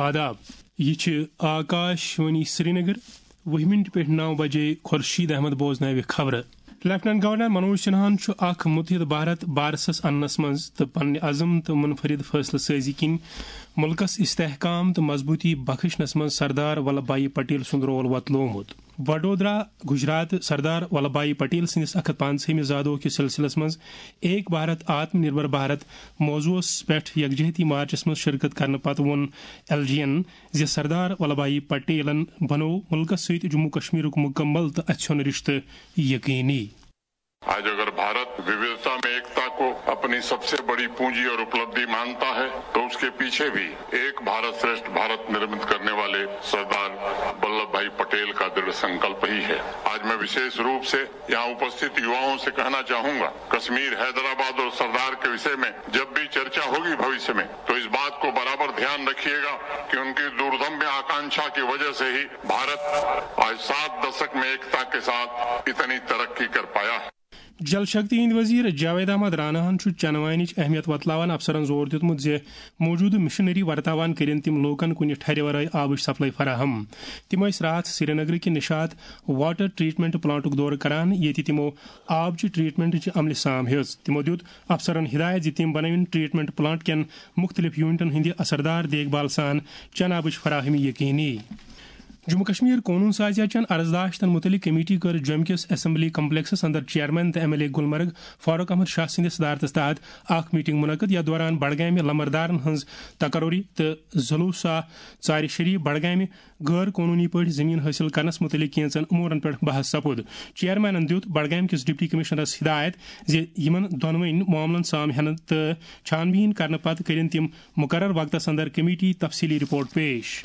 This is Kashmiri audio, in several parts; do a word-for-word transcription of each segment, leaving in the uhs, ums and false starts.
آداب، یہِ چھِ آکاش وانی سرینگر۔ وُہہِ منٹ پٮ۪ٹھ نَو بجے خورشید احمد بوزناوِ خبرٕ۔ لیفٹیننٹ گورنر منوج سنہاہن چھُ اکھ متحد بھارت بارسس اننس منٛز تہٕ پننہِ عزم تہٕ منفرد فٲصلہٕ سٲزی کِنۍ مُلکس استحکام تہٕ مضبوٗطی بخشنس منٛز سردار ولبھ بھائی پٹیل سُنٛد رول وۄتلومُت۔ وڈودرا، گجرات، سردار ولبھ بھائی پٹیل سٕنٛدِس اکھ ہتھ پانٛژہٲمہِ زادوہ کِس سلسلس منٛز ایک بھارت آتم نربھر بھارت موضوعس پٮ۪ٹھ یکجہتی مارچس منٛز شرکت کرنہٕ پتہٕ ووٚن ایل جی ین زِ سردار ولبھ بھائی پٹیلن بنوو مُلکس سۭتۍ جموں کشمیرُک مکمل تہٕ اَژھیوٚن رشتہٕ یقینی۔ आज अगर भारत विविधता में एकता को अपनी सबसे बड़ी पूंजी और उपलब्धि मानता है, तो उसके पीछे भी एक भारत श्रेष्ठ भारत निर्मित करने वाले सरदार वल्लभ भाई पटेल का दृढ़ संकल्प ही है। आज मैं विशेष रूप से यहाँ उपस्थित युवाओं से कहना चाहूंगा, कश्मीर, हैदराबाद और सरदार के विषय में जब भी चर्चा होगी भविष्य में, तो इस बात को बराबर ध्यान रखिएगा कि उनकी दूरदम्य आकांक्षा की वजह से ही भारत आज सात दशक में एकता के साथ इतनी तरक्की कर पाया है। جل شکتی ہٕنٛدۍ وزیر جاوید احمد راناہن چھُ چنہٕ وانِچ اہمیت وۄتلاوان افسرن زور دیُتمُت زِ موجودٕ مشینری ورتاوان کٔرِن تِم لوٗکن کُنہِ ٹھرِ ورٲے آبٕچ سپلائی فراہم۔ تِم ٲسۍ راتھ سرینگرٕ کہِ نشاط واٹر ٹریٹمنٹ پلانٹُک دورٕ کران، ییٚتہِ تِمو آبچہِ ٹریٹمنٹٕچہِ عملہِ سام ہیٚژ۔ تِمو دیُت افسرن ہدایت زِ تِم بنٲوِن ٹریٹمنٹ پلانٹ کٮ۪ن مُختٔلِف یونٹن ہٕنٛدِ اثردار دیکھ بھال سان چنہٕ آبٕچ فراہمی یقینی۔ جموں کشمیر قونوٗن سازیہ چٮ۪ن عرضداشتن مُتعلق کمیٹی کٔر جوٚمہِ کِس اسمبلی کمپلیکسس اندر چیئرمین تہٕ M L A Gulmarg Farooq Ahmad Shah سٕنٛدِس صدارتس تحت اکھ میٹنگ منعقد، یتھ دوران بڈگامہِ لمبردارن ہٕنٛز تقرری تہٕ ظلوسا ژارِ شریف بڈگامہِ غٲر قونوٗنی پٲٹھۍ زٔمیٖن حٲصِل کرنس مُتعلق کینٛژن امورن پٮ۪ٹھ بحث سپُد۔ چیئرمینن دیُت بڈگامہِ کِس ڈپٹی کمشنرس ہدایت زِ یِمن دۄنوٕنۍ معاملن سام ہٮ۪نہٕ تہٕ چھان بیٖن کرنہٕ پتہٕ کٔرِن تِم مقرر وقتس اندر کمیٹی تفصیلی رپورٹ پیش۔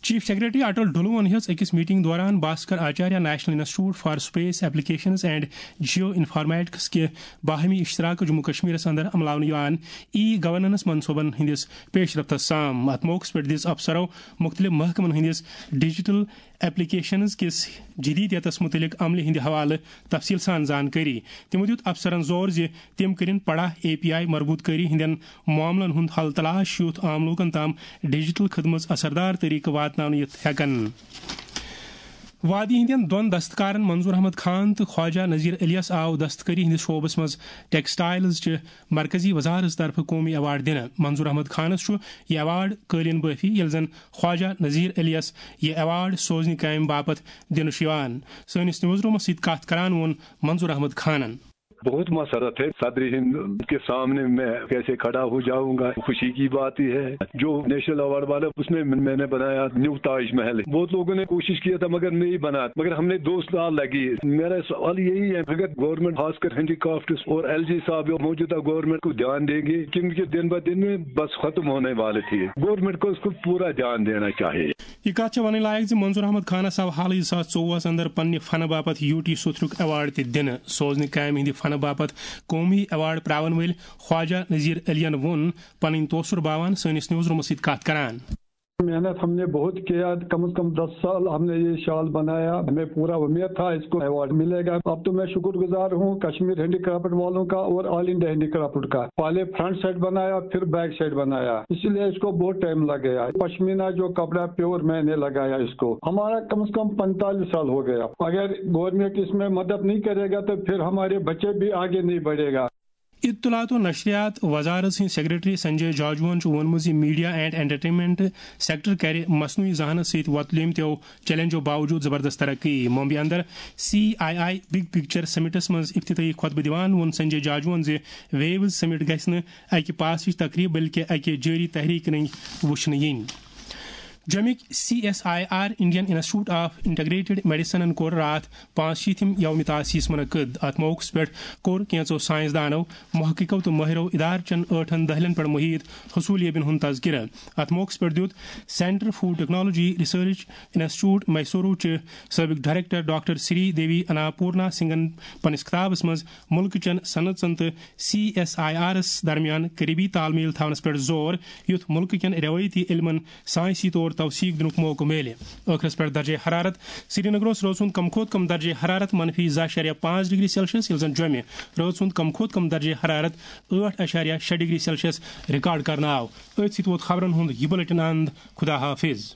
چیف سیکرٹری اٹل ڈھلوون ہیٚژ أکِس میٹنگ دوران Bhaskaracharya national institute for space applications and geo informatics کہِ باہمی اشتراک جموں کشمیرس اندر عملاونہٕ یِوان ای گورننس منصوبن ہٕنٛدِس پیش رفتس سام۔ اتھ موقعس پٮ۪ٹھ دِژ افسرو مُختٔلِف محکمن ہٕنٛدِس ڈیجیٹل ایپلیکیشنز کِس جدیدیتس مُتعلق عملہِ ہٕنٛدِ حوالہٕ تفصیل سان زانکٲری۔ تِمو دیُت افسرن زور زِ تِم کٔرِن پڑا اے پی آئی مربوط کٲری ہٕنٛدٮ۪ن معاملن ہُنٛد حل تلاش یُتھ عام لوٗکن تام ڈیجیٹل خدمژ اثردار طریقہٕ واتناونہٕ یِتھ ہٮ۪کن۔ وادی ہٕنٛدٮ۪ن دۄن دستکارن منظور احمد خان تہٕ خواجہ نذیر علیس آو دستکٲری ہٕنٛدِس شعبس منٛز ٹیکسٹائلز چہِ مرکزی وزارت طرفہٕ قومی ایوارڈ دِنہٕ۔ منظور احمد خانس چھُ یہِ ایوارڈ قٲلیٖن بٲفی، ییٚلہِ زن خواجہ نذیر علیس یہِ ایوارڈ سوزنہِ کامہِ باپتھ دِنہٕ چھُ یِوان۔ سٲنِس نیوز رومس سۭتۍ کتھ کران ووٚن منظور احمد خانن۔ بہت مسرت ہے صدر ہند کے سامنے میں کیسے کھڑا ہو جاؤں گا، خوشی کی بات ہی ہے۔ جو نیشنل ایوارڈ والا، اس میں میں نے بنایا نیو تاج محل۔ بہت لوگوں نے کوشش کیا تھا مگر نہیں بنا، مگر ہم نے دو سال لگی۔ میرا سوال یہی ہے، اگر گورنمنٹ خاص کر ہینڈی کرافٹس اور ایل جی صاحب موجودہ گورنمنٹ کو دھیان دیں گے، کیونکہ دن بہ دن میں بس ختم ہونے والے تھے، گورنمنٹ کو اس کو پورا دھیان دینا چاہیے۔ یہِ کتھ چھےٚ ونٕنۍ لایق زِ منظور احمد خانس آو حالٕے زٕ ساس ژوٚوُہس اندر پننہِ فنہٕ باپتھ یوٗ ٹی سوتھرُک ایوارڈ تہِ دِنہٕ۔ سوزنہِ کامہِ ہٕنٛدِ فنہٕ باپتھ قومی ایوارڈ پراون وٲلۍ خواجہ نذیر علیَن ووٚن پنٕنۍ توثر باوان سٲنِس نیوز رومس سۭتۍ کتھ کران۔ محنت ہم نے بہت کیا، کم از کم دس سال ہم نے یہ شال بنایا، ہمیں پورا امید تھا اس کو ایوارڈ ملے گا۔ اب تو میں شکر گزار ہوں کشمیر ہینڈی کرافٹ والوں کا اور آل انڈیا ہینڈی کرافٹ کا۔ پہلے فرنٹ سائڈ بنایا، پھر بیک سائڈ بنایا، اسی لیے اس کو بہت ٹائم لگ گیا۔ پشمینہ جو کپڑا پیور میں نے لگایا اس کو، ہمارا کم از کم پینتالیس سال ہو گیا۔ اگر گورنمنٹ اس میں مدد نہیں کرے گا تو پھر ہمارے بچے بھی آگے نہیں بڑھے گا۔ اطلاعات و نشریات وزارت سٕنٛدۍ سیکرٹری سنجے جاجوہن چھُ ووٚنمُت زِ میڈیا اینڈ انٹرٹینمنٹ سیکٹر کرِ مصنوعی ذہانت سۭتۍ وۄتلمتیو چیلنجو باوجود زبردست ترقی۔ ممبئی اندر C I I big picture سمٹس منٛز افتتاحی خطبہٕ دِوان ووٚن سنجے جاجوہن زِ ویوز سمٹ گژھِ نہٕ اکہِ پاسٕچ تقریب بلکہِ اکہِ جٲری تحریک رٔنگۍ وُچھنہٕ یِنۍ۔ جوٚمِکۍ C S I R Indian institute of integrated میڈیسنن کوٚر راتھ پانٛژشیٖتھِم یوم تاسیس منعقد۔ اتھ موقعس پٮ۪ٹھ کوٚر کینٛژو سائنسدانو، محققو تہٕ مٲہرو ادارٕ چٮ۪ن ٲٹھن دٔہلٮ۪ن پٮ۪ٹھ محیط حصولیٲبین ہُنٛد تذکرٕ۔ اتھ موقعس پٮ۪ٹھ دیُت centre food technology research institute Mysuru چہِ سٲبق ڈائریکٹر ڈاکٹر سری دیوی اناپورنا سنگھن پننِس خطابس منٛز مُلکہٕ چٮ۪ن صنعژن تہٕ سی ایس آئی آرس درمیان قریبی تال میل تھاونس پٮ۪ٹھ زور، یُتھ مُلکہٕ کٮ۪ن روایتی علمن سائنسی طور توثیق دِنُک موقعہٕ میلہِ۔ ٲخرس پٮ۪ٹھ درجہ حرارت۔ سرینگرس رٲژ ہُنٛد کم کھۄتہٕ کم درجہ حرارت منفی زٕ اعشاریہ پانٛژھ ڈگری سیلسیس، ییٚلہِ زن جوٚمہِ رٲژ ہُنٛد کم کھۄتہٕ کم درجہ حرارت ٲٹھ اعشاریہ شےٚ ڈگری سیلسیس ریکارڈ کرنہٕ آو۔ أتھۍ سۭتۍ ووت خبرن ہُنٛد یہِ بلیٹن اند۔ خدا حافظ۔